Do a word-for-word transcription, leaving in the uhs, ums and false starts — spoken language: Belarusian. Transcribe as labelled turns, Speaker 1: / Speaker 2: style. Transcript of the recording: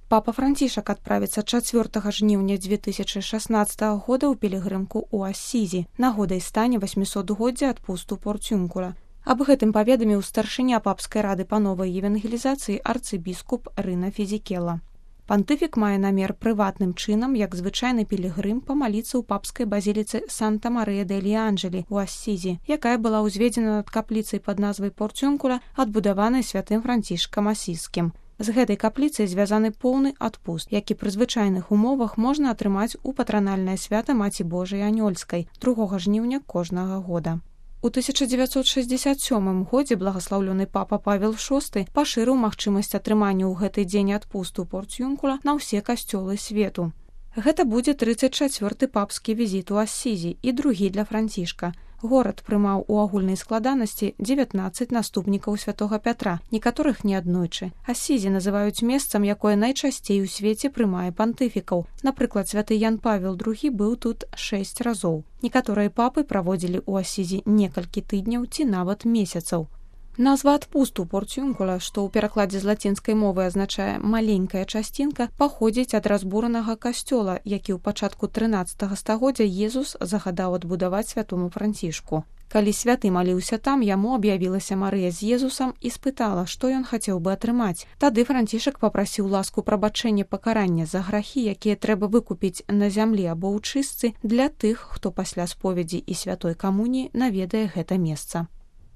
Speaker 1: Папа Францішак адправіцца чацвёртага жніўня дзве тысячы шаснаццатага года ў пілігрымку ў Ассізі, нагодай стане васьмісотгоддзя адпусту Порцюнкула. Аб гэтым паведаміў старшыня папскай рады па новай евангелізацыі арцыбіскуп Рына Фізікела. Пантыфік мае намер прыватным чынам, як звычайны пілігрым, памаліцца ў папскай базіліцы Санта-Марыя-дель-Анджелі ў Ассізі, якая была ўзведзена над капліцай пад назвай Порцюнкула, адбудаванай святым Францішкам Асізскім. З гэтай капліцай звязаны поўны адпуст, які пры звычайных умовах можна атрымаць у патранальнае свята Маці Божай Анёльскай другога жніўня кожнага года. У тысяча дзевяцьсот шэсцьдзесят сёмым годзе благаслаўлёны папа Павел шосты пашырыў магчымасць атрымання ў гэты дзень адпусту Порцюнкула на ўсе касцёлы свету. Гэта будзе трыццаць чацвёрты папскі візіт у Ассізі і другі для Францішка. Горад прымаў у агульнай складанасці дзевятнаццаць наступнікаў святога Пятра, некаторых неаднойчы. Ассізі называюць месцам, якое найчасцей у свеце прымае пантыфікаў. Напрыклад, святы Ян Павел другі быў тут шэсць разоў. Некаторыя папы праводзілі ў Ассізі некалькі тыдняў ці нават месяцаў. Назва адпусту Порцюнкула, што ў перакладзе з лацінскай мовы азначае «маленькая часцінка», паходзіць ад разбуранага касцёла, які ў пачатку трынаццатага стагоддзя Езус загадаў адбудаваць святому Францішку. Калі святы маліўся там, яму аб'явілася Марыя з Езусам і спытала, што ён хацеў бы атрымаць. Тады Францішак папрасіў ласку прабачэння пакарання за грахі, якія трэба выкупіць на зямлі або ў чыстцы для тых, хто пасля споведзі і святой камуніі наведае гэта месца.